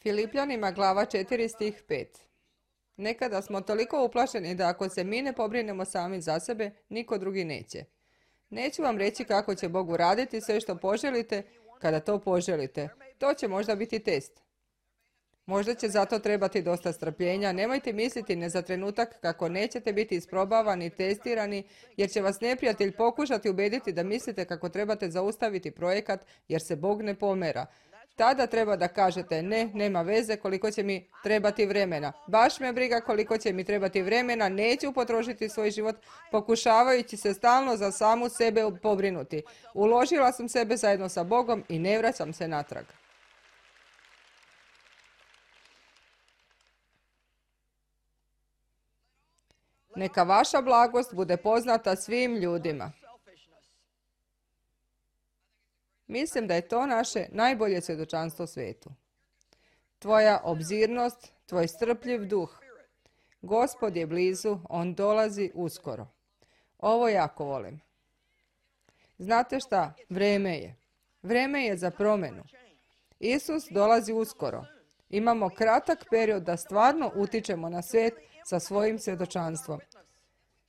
Filipljanima glava 4 stih 5. Nekada smo toliko uplašeni da ako se mi ne pobrinemo sami za sebe, niko drugi neće. Neću vam reći kako će Bog uraditi sve što poželite kada to poželite. To će možda biti test. Možda će zato trebati dosta strpljenja. Nemojte misliti ne za trenutak kako nećete biti isprobavani, testirani, jer će vas neprijatelj pokušati ubediti da mislite kako trebate zaustaviti projekat jer se Bog ne pomera. Tada treba da kažete ne, nema veze koliko će mi trebati vremena. Baš me briga koliko će mi trebati vremena, neću potrošiti svoj život pokušavajući se stalno za samu sebe pobrinuti. Uložila sam sebe zajedno sa Bogom i ne vraćam se natrag. Neka vaša blagost bude poznata svim ljudima. Mislim da je to naše najbolje svjedočanstvo svijetu. Tvoja obzirnost, tvoj strpljiv duh. Gospod je blizu, on dolazi uskoro. Ovo jako volim. Znate šta? Vreme je. Vreme je za promjenu. Isus dolazi uskoro. Imamo kratak period da stvarno utičemo na svijet sa svojim svjedočanstvom.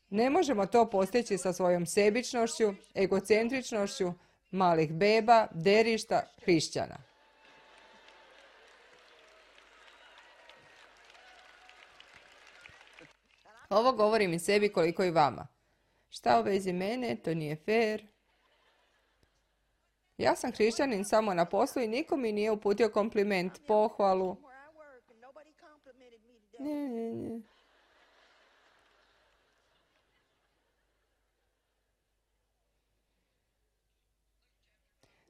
Ne možemo to postići sa svojom sebičnošću, egocentričnošću, malih beba, derišta, hrišćana. Ovo govorim i sebi koliko i vama. Šta u vezi mene, to nije fair. Ja sam hrišćanin samo na poslu i niko mi nije uputio kompliment, pohvalu. Ne.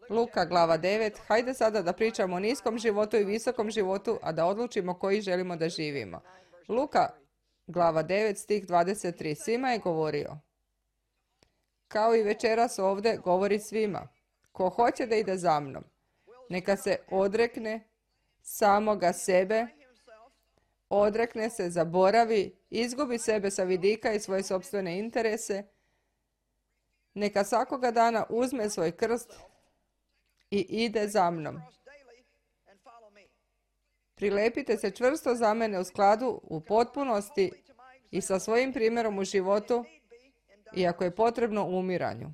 Luka glava 9. Hajde sada da pričamo o niskom životu i visokom životu, a da odlučimo koji želimo da živimo. Luka glava 9 stih 23. Svima je govorio. Kao i večeras ovdje govori svima. Ko hoće da ide za mnom, neka se odrekne samoga sebe, odrekne se, zaboravi, izgubi sebe sa vidika i svoje sopstvene interese, neka svakoga dana uzme svoj krst i ide za mnom. Prilepite se čvrsto za mene u skladu, u potpunosti i sa svojim primjerom u životu, iako je potrebno u umiranju.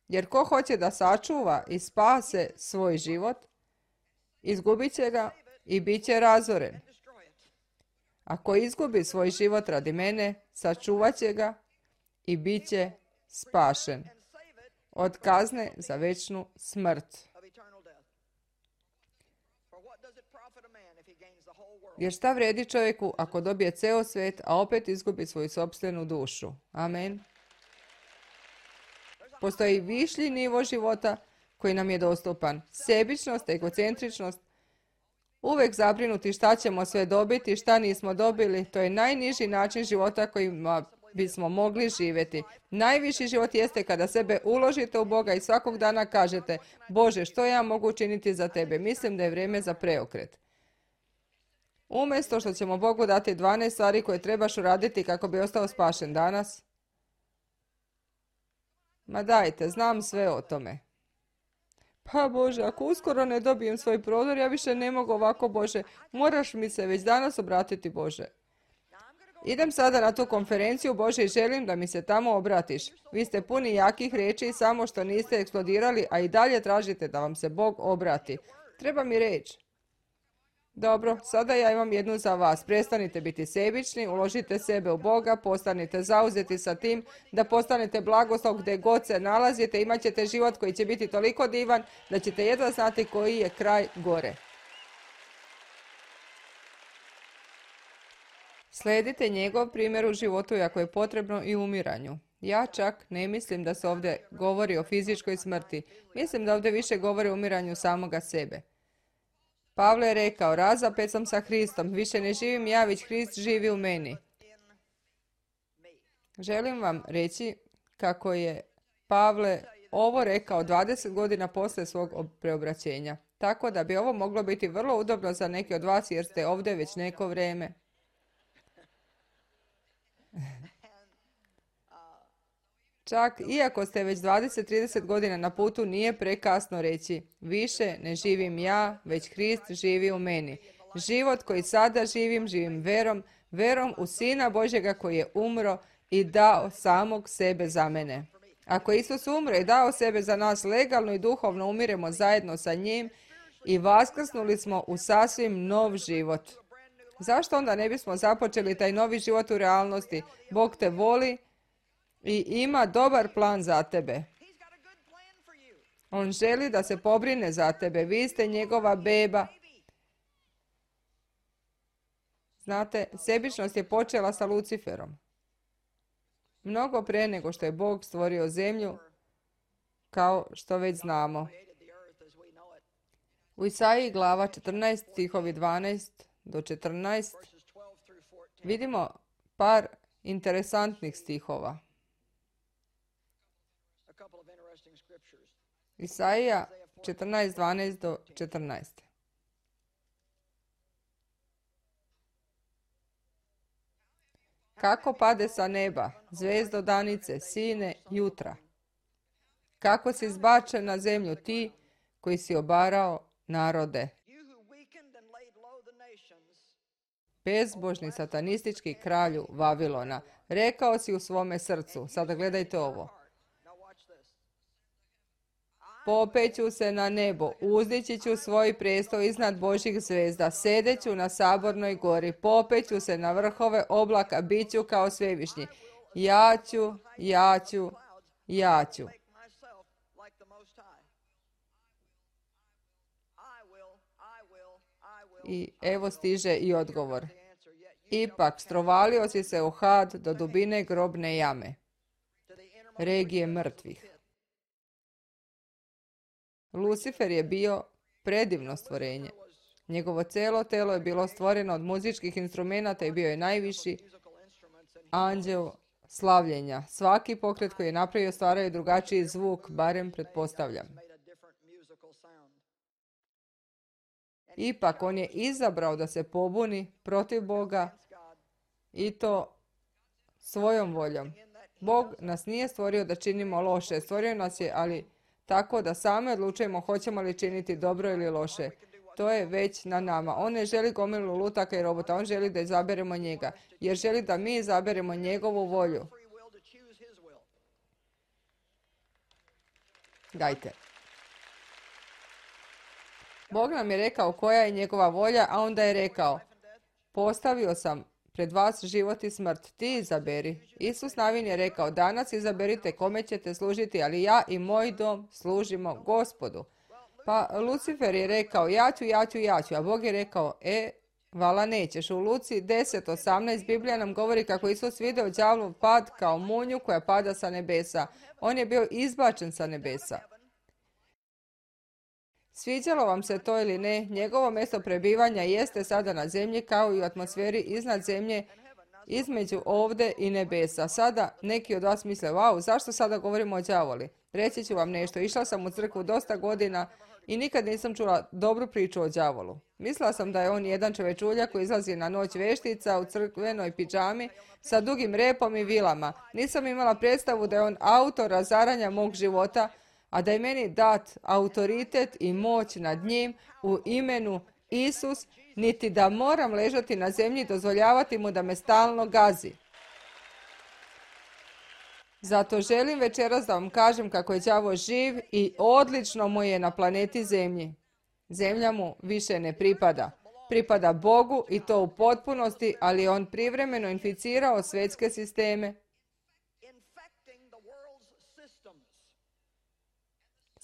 Jer ko hoće da sačuva i spase svoj život, izgubit će ga i bit će razoren. Ako izgubi svoj život radi mene, sačuvat će ga i bit će spašen od kazne za večnu smrt. Jer šta vredi čovjeku ako dobije ceo svijet, a opet izgubi svoju sopstvenu dušu? Amen. Postoji višlji nivo života koji nam je dostupan. Sebičnost, egocentričnost, uvek zabrinuti šta ćemo sve dobiti, šta nismo dobili, to je najniži način života kojim bismo mogli živjeti. Najviši život jeste kada sebe uložite u Boga i svakog dana kažete: Bože, što ja mogu učiniti za tebe? Mislim da je vrijeme za preokret. Umjesto što ćemo Bogu dati 12 stvari koje trebaš uraditi kako bi ostao spašen danas. Ma dajte, znam sve o tome. Pa Bože, ako uskoro ne dobijem svoj prodor, ja više ne mogu ovako, Bože. Moraš mi se već danas obratiti, Bože. Idem sada na tu konferenciju, Bože, i želim da mi se tamo obratiš. Vi ste puni jakih riječi, samo što niste eksplodirali, a i dalje tražite da vam se Bog obrati. Treba mi reč. Dobro, sada ja imam jednu za vas. Prestanite biti sebični, uložite sebe u Boga, postanite zauzeti sa tim, da postanete blagoslov gdje god se nalazite, imat ćete život koji će biti toliko divan da ćete jedva znati koji je kraj gore. Sledite njegov primjer u životu, ako je potrebno, i umiranju. Ja čak ne mislim da se ovdje govori o fizičkoj smrti. Mislim da ovdje više govori o umiranju samoga sebe. Pavle je rekao: razapet sam sa Hristom, više ne živim ja, već Hrist živi u meni. Želim vam reći kako je Pavle ovo rekao 20 godina poslije svog preobraćenja. Tako da bi ovo moglo biti vrlo udobno za neke od vas jer ste ovdje već neko vrijeme. Čak iako ste već 20-30 godina na putu, nije prekasno reći: više ne živim ja, već Hrist živi u meni. Život koji sada živim, živim verom, verom u Sina Božjega koji je umro i dao samog sebe za mene. Ako je Isus umro i dao sebe za nas, legalno i duhovno umiremo zajedno sa njim i vaskrsnuli smo u sasvim nov život. Zašto onda ne bismo započeli taj novi život u realnosti? Bog te voli i ima dobar plan za tebe. On želi da se pobrine za tebe. Vi ste njegova beba. Znate, sebičnost je počela sa Luciferom. Mnogo pre nego što je Bog stvorio zemlju, kao što već znamo. U Isaiji glava 14, stihovi 12 do 14, vidimo par interesantnih stihova. Isaija 14, 12 do 14. Kako pade sa neba, zvezdo danice, sine jutra. Kako si zbačen na zemlju ti koji si obarao narode. Bezbožni satanistički kralju Vavilona, rekao si u svome srcu, sada gledajte ovo. Popeću se na nebo, uzdići ću svoj prestol iznad Božjih zvezda, sedeću na sabornoj gori, popeću se na vrhove oblaka, bit ću kao svevišnji. Ja ću. I evo stiže i odgovor. Ipak strovalio si se u had do dubine grobne jame, regije mrtvih. Lucifer je bio predivno stvorenje. Njegovo cijelo telo je bilo stvoreno od muzičkih instrumenata i bio je najviši anđeo slavljenja. Svaki pokret koji je napravio stvarao je drugačiji zvuk, barem pretpostavljam. Ipak on je izabrao da se pobuni protiv Boga i to svojom voljom. Bog nas nije stvorio da činimo loše, stvorio nas je, ali tako da sami odlučujemo hoćemo li činiti dobro ili loše. To je već na nama. On ne želi gomilu lutaka i robota, on želi da izaberemo njega, jer želi da mi izaberemo njegovu volju. Dajte. Bog nam je rekao koja je njegova volja, a onda je rekao, postavio sam pred vas život i smrt, ti izaberi. Isus Navin je rekao, danas izaberite kome ćete služiti, ali ja i moj dom služimo Gospodu. Pa Lucifer je rekao, ja ću, a Bog je rekao, vala nećeš. U Luci 10:18 Biblija nam govori kako Isus vidio đavlov pad kao munju koja pada sa nebesa. On je bio izbačen sa nebesa. Sviđalo vam se to ili ne, njegovo mjesto prebivanja jeste sada na zemlji kao i u atmosferi iznad zemlje, između ovde i nebesa. Sada neki od vas misle, wow, zašto sada govorimo o đavoli? Reći ću vam nešto, išla sam u crkvu dosta godina i nikad nisam čula dobru priču o đavolu. Mislila sam da je on jedan čovečulja koji izlazi na noć veštica u crkvenoj pidžami sa dugim repom i vilama. Nisam imala predstavu da je on autor razaranja mog života, a da je meni dat autoritet i moć nad njim u imenu Isus, niti da moram ležati na zemlji i dozvoljavati mu da me stalno gazi. Zato želim večeras da vam kažem kako je đavo živ i odlično mu je na planeti Zemlji. Zemlja mu više ne pripada. Pripada Bogu i to u potpunosti, ali je on privremeno inficirao svjetske sisteme.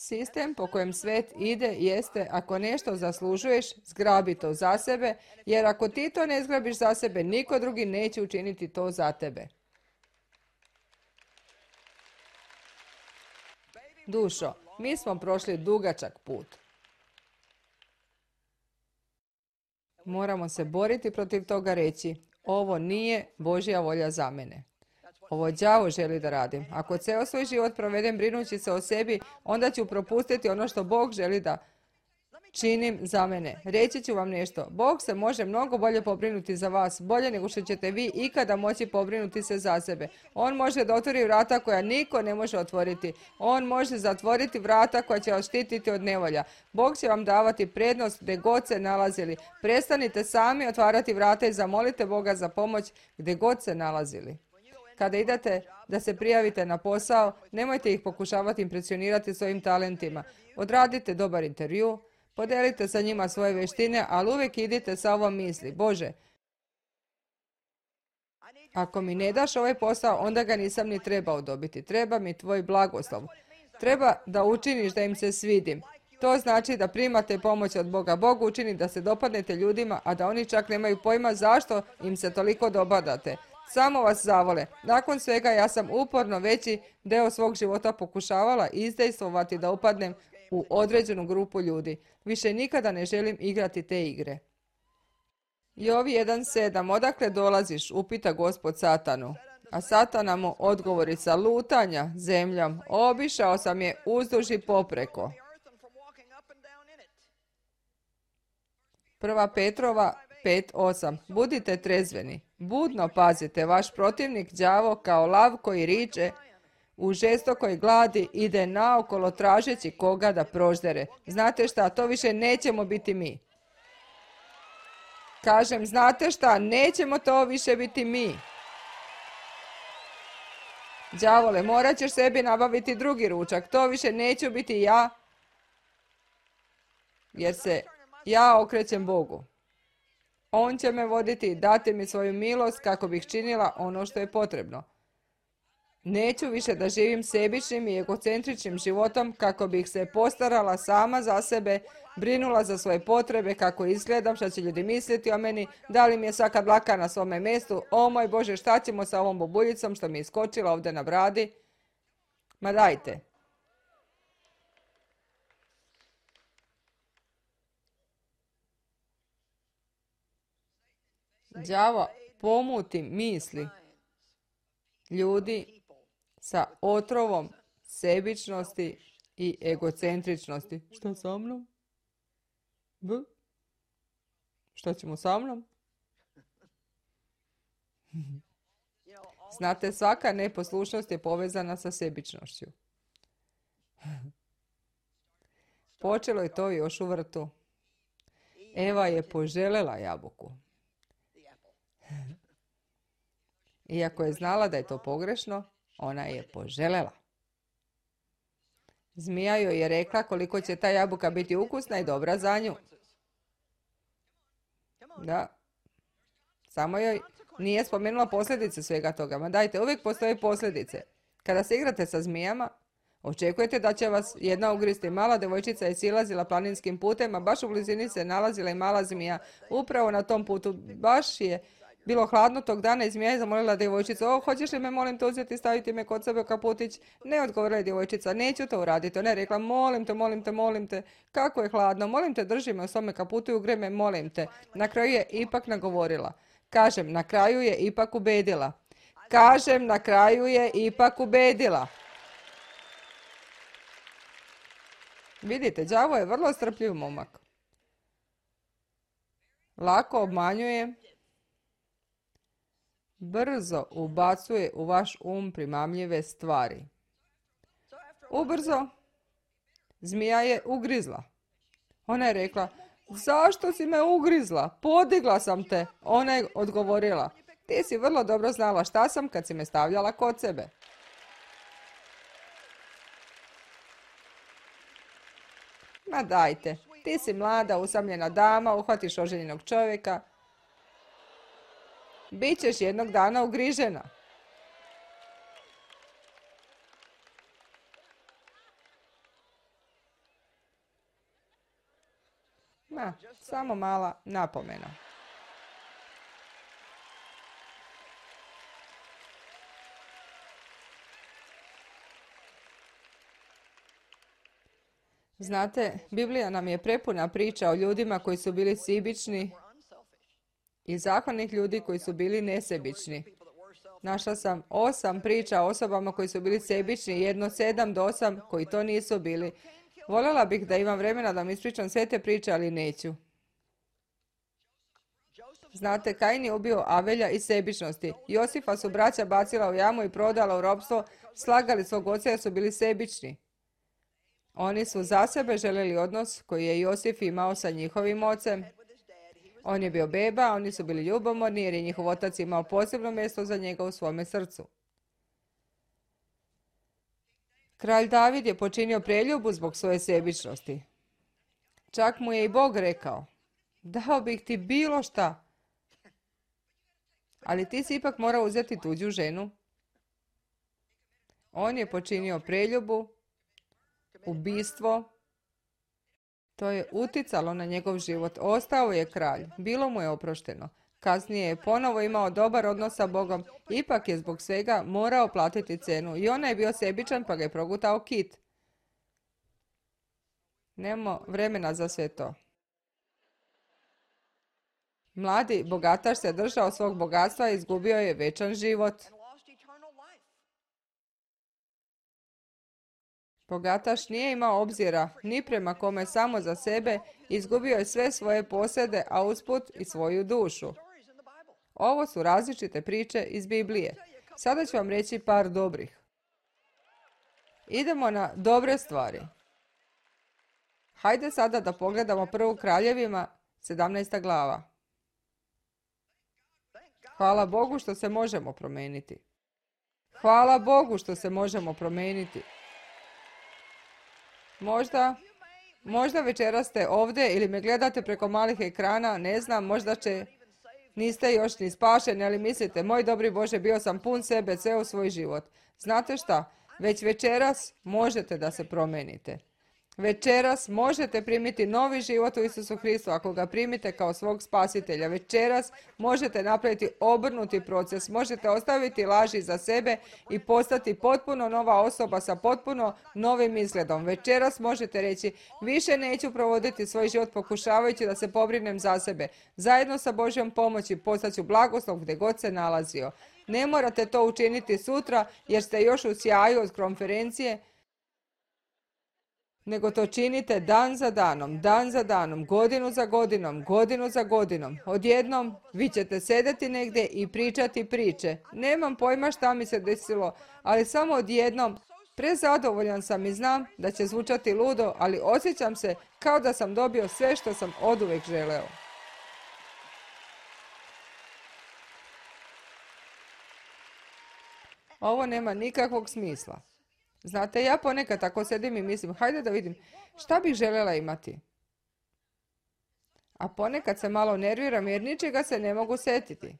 Sistem po kojem svet ide jeste, ako nešto zaslužuješ, zgrabi to za sebe, jer ako ti to ne zgrabiš za sebe, niko drugi neće učiniti to za tebe. Dušo, mi smo prošli dugačak put. Moramo se boriti protiv toga, reći, ovo nije Božja volja za mene. Ovo đavo želi da radim. Ako ceo svoj život provedem brinući se o sebi, onda ću propustiti ono što Bog želi da činim za mene. Reći ću vam nešto. Bog se može mnogo bolje pobrinuti za vas, bolje nego što ćete vi ikada moći pobrinuti se za sebe. On može da otvori vrata koja niko ne može otvoriti. On može zatvoriti vrata koja će vas štititi od nevolja. Bog će vam davati prednost gdje god se nalazili. Prestanite sami otvarati vrata i zamolite Boga za pomoć gdje god se nalazili. Kada idete da se prijavite na posao, nemojte ih pokušavati impresionirati svojim talentima. Odradite dobar intervju, podelite sa njima svoje vještine, ali uvijek idite sa ovom misli. Bože, ako mi ne daš ovaj posao, onda ga nisam ni trebao dobiti. Treba mi tvoj blagoslov. Treba da učiniš da im se svidim. To znači da primate pomoć od Boga. Bog učini da se dopadnete ljudima, a da oni čak nemaju pojma zašto im se toliko dopadate. Samo vas zavole. Nakon svega ja sam uporno veći dio svog života pokušavala izdejstvovati da upadnem u određenu grupu ljudi. Više nikada ne želim igrati te igre. Jov 1.7. Odakle dolaziš? Upita Gospod Satanu. A Satana mu odgovori sa lutanja zemljom. Obišao sam je uzduž i popreko. 1. Petrova 5.8. Budite trezveni. Budno pazite, vaš protivnik đavo kao lav koji riče u žestokoj gladi ide naokolo tražeći koga da proždere. Znate šta, to više nećemo biti mi. Kažem, znate šta, nećemo to više biti mi. Đavole, morat ćeš sebi nabaviti drugi ručak, to više neću biti ja, jer se ja okrećem Bogu. On će me voditi i dati mi svoju milost kako bih činila ono što je potrebno. Neću više da živim sebičnim i egocentričnim životom kako bih se postarala sama za sebe, brinula za svoje potrebe, kako izgledam, šta će ljudi misliti o meni, da li mi je svaka dlaka na svome mjestu, o moj Bože, šta ćemo sa ovom bobuljicom što mi je iskočila ovdje na bradi. Ma dajte. Đavo pomuti misli ljudi sa otrovom sebičnosti i egocentričnosti. Šta sa mnom? Šta ćemo sa mnom? Znate, svaka neposlušnost je povezana sa sebičnošću. Počelo je to još u vrtu. Eva je poželjela jabuku. Iako je znala da je to pogrešno, ona je poželjela. Zmija joj je rekla koliko će ta jabuka biti ukusna i dobra za nju. Da. Samo joj nije spomenula posljedice svega toga. Ma dajte, uvijek postoje posljedice. Kada se igrate sa zmijama, očekujete da će vas jedna ugristi. Mala devojčica je silazila planinskim putem, a baš u blizini se nalazila i mala zmija. Upravo na tom putu baš je bilo hladno tog dana i zmija je zamolila djevojčicu. O, hoćeš li me, molim te, uzeti i staviti me kod sebe u kaputić? Ne, odgovorila je djevojčica, neću to uraditi. Ona je rekla, molim te, kako je hladno, molim te, drži me u svome kaputu i ugrej me, molim te. Na kraju je ipak nagovorila. Kažem, na kraju je ipak ubedila. Vidite, đavo je vrlo strpljiv momak. Lako obmanjuje, brzo ubacuje u vaš primamljive stvari. Ubrzo zmija je ugrizla. Ona je rekla, zašto si me ugrizla? Podigla sam te. Ona je odgovorila, ti si vrlo dobro znala šta sam kad si me stavljala kod sebe. Ma dajte, ti si mlada, usamljena dama, uhvatiš oženjenog čovjeka. Bićeš jednog dana ugrižena. Samo mala napomena. Znate, Biblija nam je prepuna priča o ljudima koji su bili sebični i zahvalnih ljudi koji su bili nesebični. Našla sam 8 priča o osobama koji su bili sebični, jedno 7 do 8 koji to nisu bili. Voljela bih da imam vremena da mi ispričam sve te priče, ali neću. Znate, Kain je ubio Avelja iz sebičnosti. Josifa su braća bacila u jamu i prodala u ropstvo, slagali svog oca jer su bili sebični. Oni su za sebe željeli odnos koji je Josif imao sa njihovim ocem. On je bio beba, oni su bili ljubomorni jer je njihov otac imao posebno mjesto za njega u svome srcu. Kralj David je počinio preljubu zbog svoje sebičnosti. Čak mu je i Bog rekao, dao bih ti bilo šta, ali ti si ipak morao uzeti tuđu ženu. On je počinio preljubu, ubistvo. To je uticalo na njegov život. Ostao je kralj. Bilo mu je oprošteno. Kasnije je ponovo imao dobar odnos sa Bogom. Ipak je zbog svega morao platiti cenu. I on je bio sebičan pa ga je progutao kit. Nemamo vremena za sve to. Mladi bogataš se držao svog bogatstva i izgubio je vječan život. Bogataš nije imao obzira ni prema kome, samo za sebe, izgubio je sve svoje posjede, a usput i svoju dušu. Ovo su različite priče iz Biblije. Sada ću vam reći par dobrih. Idemo na dobre stvari. Hajde sada da pogledamo prvu Kraljevima, 17. glava. Hvala Bogu što se možemo promijeniti. Hvala Bogu što se možemo promijeniti. Možda večeras ste ovdje ili me gledate preko malih ekrana, ne znam, niste još ni spašeni, ali mislite, moj dobri Bože, bio sam pun sebe, ceo svoj život. Znate šta? Već večeras možete da se promijenite. Večeras možete primiti novi život u Isusu Hristu ako ga primite kao svog spasitelja. Večeras možete napraviti obrnuti proces, možete ostaviti laži za sebe i postati potpuno nova osoba sa potpuno novim izgledom. Večeras možete reći, više neću provoditi svoj život pokušavajući da se pobrinem za sebe. Zajedno sa Božjom pomoći postaću blagoslov gdje god se nalazio. Ne morate to učiniti sutra jer ste još u sjaju od konferencije, nego to činite dan za danom, godinu za godinom. Odjednom vi ćete sedeti negdje i pričati priče. Nemam pojma šta mi se desilo, ali samo odjednom prezadovoljan sam i znam da će zvučati ludo, ali osjećam se kao da sam dobio sve što sam oduvijek želeo. Ovo nema nikakvog smisla. Znate, ja ponekad tako sedim i mislim, hajde da vidim šta bih željela imati. A ponekad se malo nerviram jer ničega se ne mogu setiti.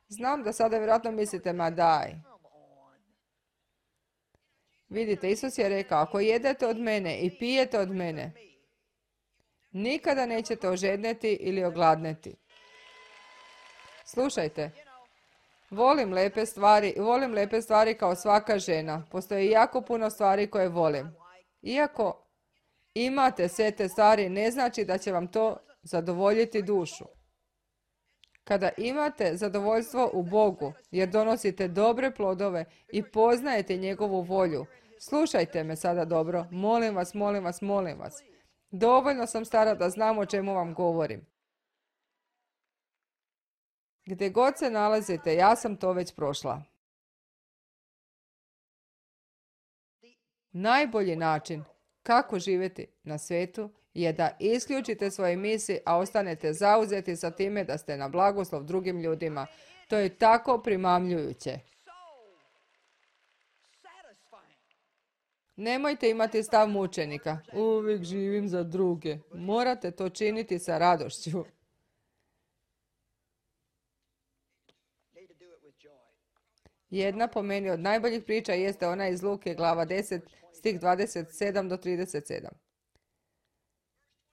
Znam da sada vjerojatno mislite, ma daj. Vidite, Isus je rekao, ako jedete od mene i pijete od mene, nikada nećete ožedneti ili ogladneti. Slušajte. Volim lepe stvari kao svaka žena. Postoji jako puno stvari koje volim. Iako imate sve te stvari, ne znači da će vam to zadovoljiti dušu. Kada imate zadovoljstvo u Bogu, jer donosite dobre plodove i poznajete njegovu volju, slušajte me sada dobro, molim vas. Dovoljno sam stara da znam o čemu vam govorim. Gdje god se nalazite, ja sam to već prošla. Najbolji način kako živjeti na svijetu je da isključite svoje misli, a ostanete zauzeti sa time da ste na blagoslov drugim ljudima. To je tako primamljujuće. Nemojte imati stav mučenika. Uvijek živim za druge. Morate to činiti sa radošću. Jedna po meni od najboljih priča jeste ona iz Luke, glava 10, stih 27 do 37.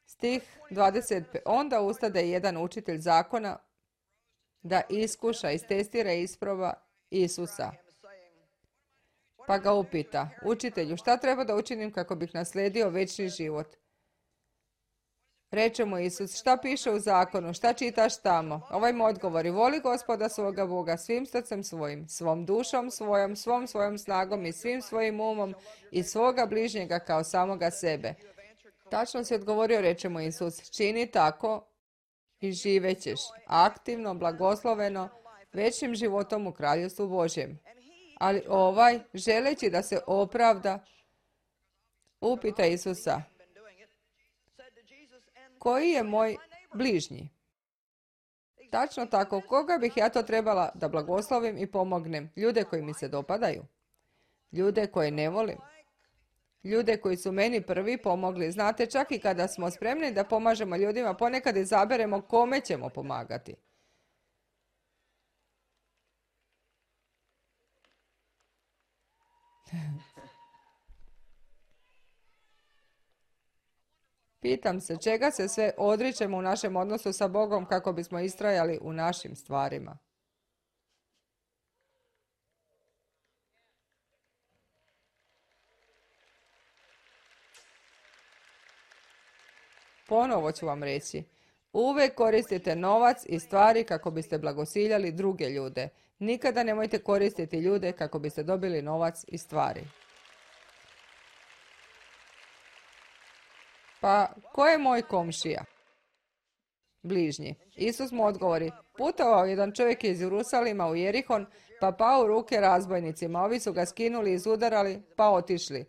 Stih 25. Onda ustade jedan učitelj zakona da iskuša, istestira i isproba Isusa. Pa ga upita, učitelju, šta treba da učinim kako bih naslijedio večni život? Reče mu Isus, šta piše u zakonu, šta čitaš tamo? Ovaj mu odgovori, voli Gospoda svoga Boga svim srcem svojim, svom dušom svojom, svom svojom snagom i svim svojim umom i svoga bližnjega kao samoga sebe. Tačno si odgovorio, reče mu Isus, čini tako i živećeš aktivno, blagosloveno, večnim životom u Kraljevstvu Božjem. Ali ovaj, želeći da se opravda, upita Isusa, koji je moj bližnji? Tačno tako, koga bih ja to trebala da blagoslovim i pomognem? Ljude koji mi se dopadaju? Ljude koje ne volim? Ljude koji su meni prvi pomogli? Znate, čak i kada smo spremni da pomažemo ljudima, ponekad izaberemo kome ćemo pomagati. Pitam se, čega se sve odričemo u našem odnosu sa Bogom kako bismo istrajali u našim stvarima? Ponovo ću vam reći, uvek koristite novac i stvari kako biste blagosiljali druge ljude. Nikada nemojte koristiti ljude kako biste dobili novac i stvari. Pa, ko je moj komšija? Bližnji. Isus mu odgovori, putovao jedan čovjek iz Jerusalima u Jerihon, pa pao u ruke razbojnicima. Ovi su ga skinuli, izudarali, pa otišli.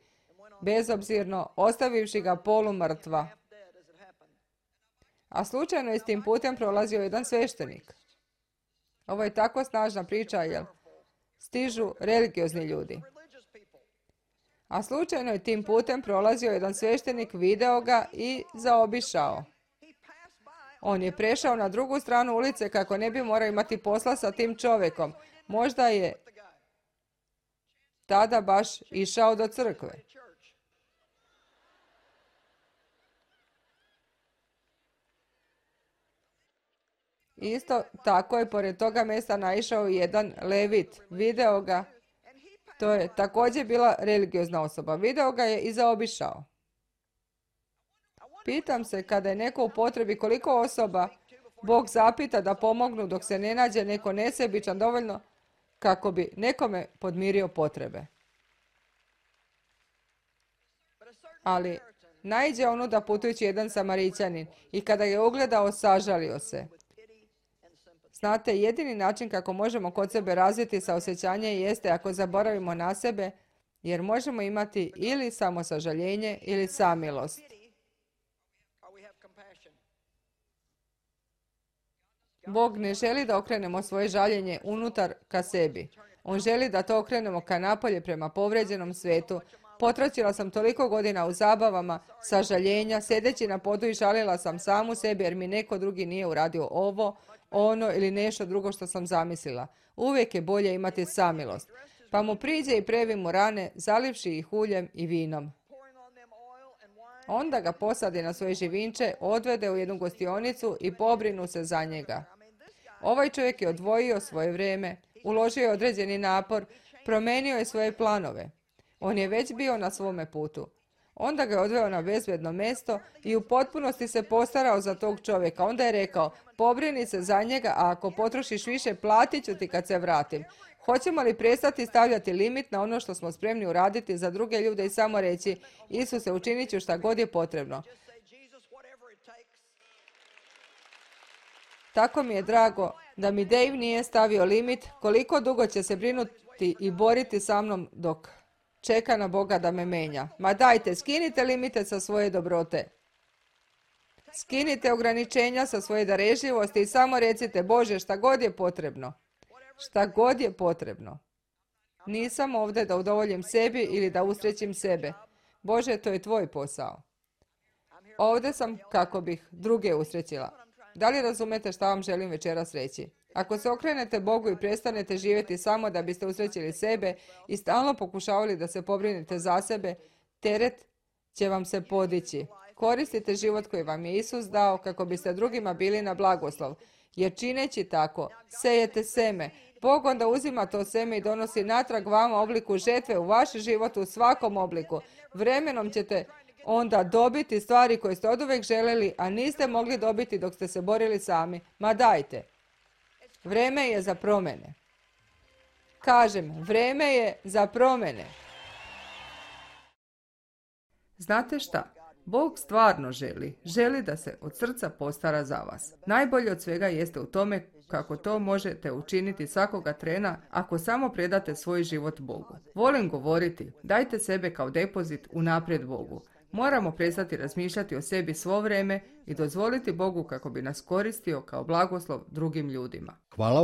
Bezobzirno, ostavivši ga polumrtva. A slučajno je s tim putem prolazio jedan sveštenik. Ovo je tako snažna priča, jer stižu religiozni ljudi. A slučajno je tim putem prolazio jedan sveštenik, video ga i zaobišao. On je prešao na drugu stranu ulice kako ne bi morao imati posla sa tim čovjekom. Možda je tada baš išao do crkve. Isto tako je pored toga mjesta naišao i jedan levit. Video ga, to je također bila religiozna osoba. Video ga je i zaobišao. Pitam se, kada je neko u potrebi, koliko osoba Bog zapita da pomognu dok se ne nađe neko nesebičan dovoljno kako bi nekome podmirio potrebe. Ali naiđe onuda putujući jedan Samarićanin i kada je ugledao, sažalio se. Znate, jedini način kako možemo kod sebe razviti saosjećanje jeste ako zaboravimo na sebe, jer možemo imati ili samosažaljenje ili samilost. Bog ne želi da okrenemo svoje žaljenje unutar ka sebi. On želi da to okrenemo ka napolje prema povređenom svetu. Potračila sam toliko godina u zabavama, sažaljenja, sedeći na podu i žalila sam samu sebi jer mi neko drugi nije uradio ovo, ono ili nešto drugo što sam zamislila. Uvijek je bolje imati samilost. Pa mu priđe i previ mu rane, zalivši ih uljem i vinom. Onda ga posadi na svoje živinče, odvede u jednu gostionicu i pobrinu se za njega. Ovaj čovjek je odvojio svoje vrijeme, uložio je određeni napor, promenio je svoje planove. On je već bio na svome putu. Onda ga je odveo na bezbedno mjesto i u potpunosti se postarao za tog čovjeka. Onda je rekao, pobrini se za njega, a ako potrošiš više, platit ću ti kad se vratim. Hoćemo li prestati stavljati limit na ono što smo spremni uraditi za druge ljude i samo reći, Isuse, učinit ću šta god je potrebno. Tako mi je drago da mi Dave nije stavio limit koliko dugo će se brinuti i boriti sa mnom dok čeka na Boga da me menja. Ma dajte, skinite limite sa svoje dobrote. Skinite ograničenja sa svoje darežljivosti i samo recite, Bože, šta god je potrebno. Šta god je potrebno. Nisam ovdje da udovoljim sebi ili da usrećim sebe. Bože, to je tvoj posao. Ovdje sam kako bih druge usrećila. Da li razumete šta vam želim večeras reći? Ako se okrenete Bogu i prestanete živjeti samo da biste usrećili sebe i stalno pokušavali da se pobrinete za sebe, teret će vam se podići. Koristite život koji vam je Isus dao kako biste drugima bili na blagoslov. Jer čineći tako, sejete seme. Bog onda uzima to seme i donosi natrag vama obliku žetve u vaš život u svakom obliku. Vremenom ćete onda dobiti stvari koje ste oduvijek željeli, a niste mogli dobiti dok ste se borili sami. Ma dajte. Vrijeme je za promjene. Kažem, vrijeme je za promjene. Znate šta? Bog stvarno želi da se od srca postara za vas. Najbolje od svega jeste u tome kako to možete učiniti svakoga trena ako samo predate svoj život Bogu. Volim govoriti, dajte sebe kao depozit unaprijed Bogu. Moramo prestati razmišljati o sebi svo vrijeme i dozvoliti Bogu kako bi nas koristio kao blagoslov drugim ljudima. Hvala vam.